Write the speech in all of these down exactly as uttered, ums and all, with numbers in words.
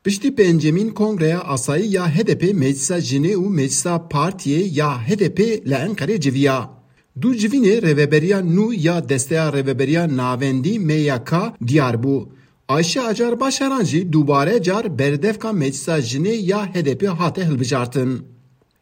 Piştî pêncemîn Kongreya Asayî ya H D P Meclisa Jinê û Meclisa Partiyê ya H D P li Enqerê civiya. Du civînê rêveberiya nû ya Desteya Rêveberiya Navendî M Y K diyar bû. Ayşe Acar Başaran jî dubare car berdevka Meclisa Jinê ya H D P hate hilbijartin.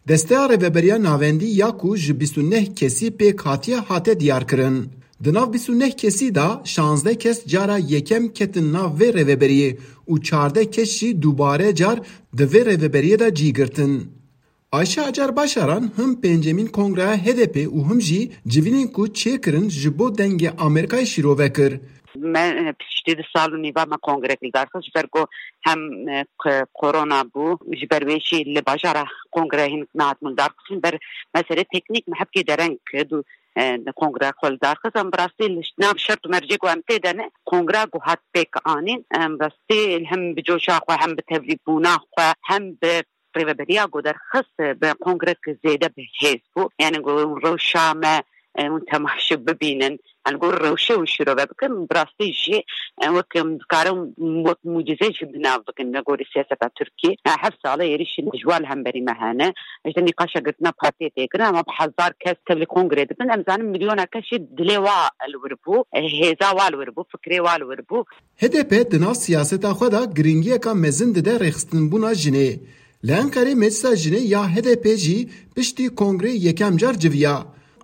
Desteya Rêveberiya Navendî ya ku ji bîst û neh kesî pêk hatiye hate diyarkirin. Di nav bîst û neh kesî de şazdeh kes cara yekem ketin nav vê rêveberiyê û çardeh kes jî dubare car di vê rêveberiyê de cî girtin. Ayşe Acar Başaran him pêncemîn Kongreya H D P û him jî civînên ku çêkirin ji bo Dengê Amerîkayê şîrove kir. Me, e, piştî du sal û nîva me kongre li dar xist, ji ber ku hem, e, k-, korona bû, ji ber wê jî li bajara kongre hin nehatin li dar xistin, ber meselê teknîk me hepkê dereng kir û, e, kongre xwe li dar xist. Em bi rastî li nav şert û mercê ku em tê de ne, kongre ku hat pêk anîn, em bi rastî hem bi coşa xwe, hem bi tevlîbûna xwe, hem bi rêveberiya ku derxist bi kongrek zêde bi hêz bû. Yani ku rewşa me, e, hûn temaşe bibînin. Yani ku rewşe û şirove bikin, bi rastî jî, e, wek, em, dikarin wek mucize jî bi nav bikin me gorî siyaseta Tirkiyê. E, heft sal e êrîşên dijwar li hemberî me hene. Ji nîqaşa girtina partiyê tê kirin, ama bi hezar kes tevlî kongrê dikin. Em zanin milyona kes jî dilê wa li wir bû, e, hêza wa li wir bû, fikrê wa li wir bû. H D P di nav siyaseta xwe de giringiyeka mezin dide rêxistinbûna jinê. Li Enqerê Meclisa Jinê ya H D P jî piştî kongrê yekem car civiya.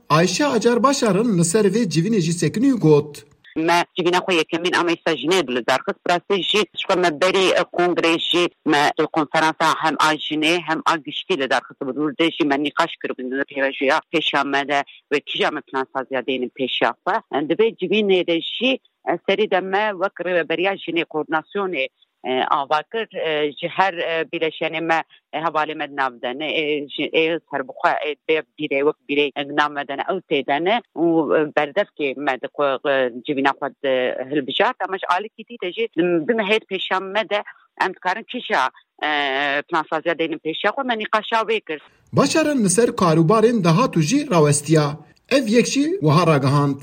Ayşe Acar Başaran li ser vê civînê jî sekinî û got: Me civîna xwe yekemîn a Meclisa Jinê li dar xist. Bi rastî jî ji xwe me berî, e, kongrê jî me konferansa hem a jinê hem a giştî li dar xist. Bi dûr de jî me nîqaş kiribûn di pêvajoya pêşiya me de wê kîja me plansaziya deynin pêşiya xwe. Di vê civînê de jî, e, serî de me wek rêveberiya jinê koordinasyonê, e, ava kir, e, ji her, e, bîleşenê me, e, hevalê me di nav de ne, e, ji, ê serbixwe, ê bê bîrê wek bîrê, e, di nav me de ne, ew tê de ne û, e, berdevkê me di ku, e, civîna xwe di hilbijart, ama ji alîkî dî de jî di, di mehêt pêşiya me de em dikarin kîja, e, plansaziya deynin pêşiya xwe, me nîqaşa wê kir. Başaran li ser karûbarên dahatû jî rawestiya. Ev yek jî wiha ragihand: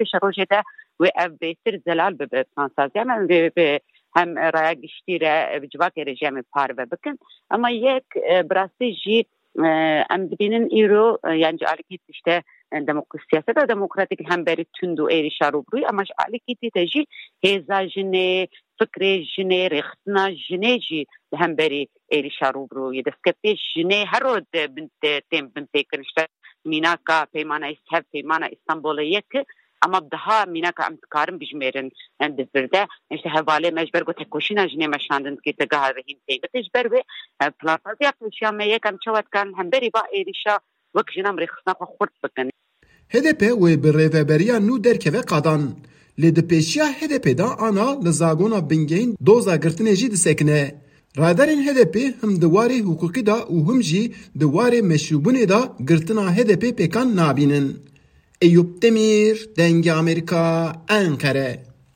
Pêşerojê de wê ev bêtir zelal bibe plansaziya me, wê, wê hem raya giştî re, bi civakê re jî em ê parve bikin. Ama yek, e, bi rastî jî, e, em dibînin îro, e, yan ji alîkî tişte, e, demok-, siyaseta demokratîk li hemberî tund û êrîşa rûbirûyî, ama ji alîkî dî de jî hêza jinê, fikrê jinê, rêxistina jinê jî li hemberî êrîşa rûbirûyî. Destkeftiyê jinê her roj di bin, di, tên binpêkirin. Ji ber mînaka peymana Îs-, hev peymana Îstanbulê yek, ama bi daha mînaka em dikarin bijmêrin, em di vir de. Îşte hevalê me ji ber ku tekoşîna jinê me şandin dikir, te geha rehîn tê. Ji ber wê, e, plansaziya pêşiya me yek, em çawa dikarin hemberî va êrîşa wek jinan rêxistina xwe xurt bikin. H D P wê bi rêveberiya nû derkeve qadan. Lê di pêşiya H D P de ana li zagona bingehîn doza girtinê jî disekine. Radarên H D P him di warê hiqûqî de û him jî di warê meşrûbûnê de girtina H D P pêkan nabînin. Eyûp Demîr, Dengê Amerîka, Enqere.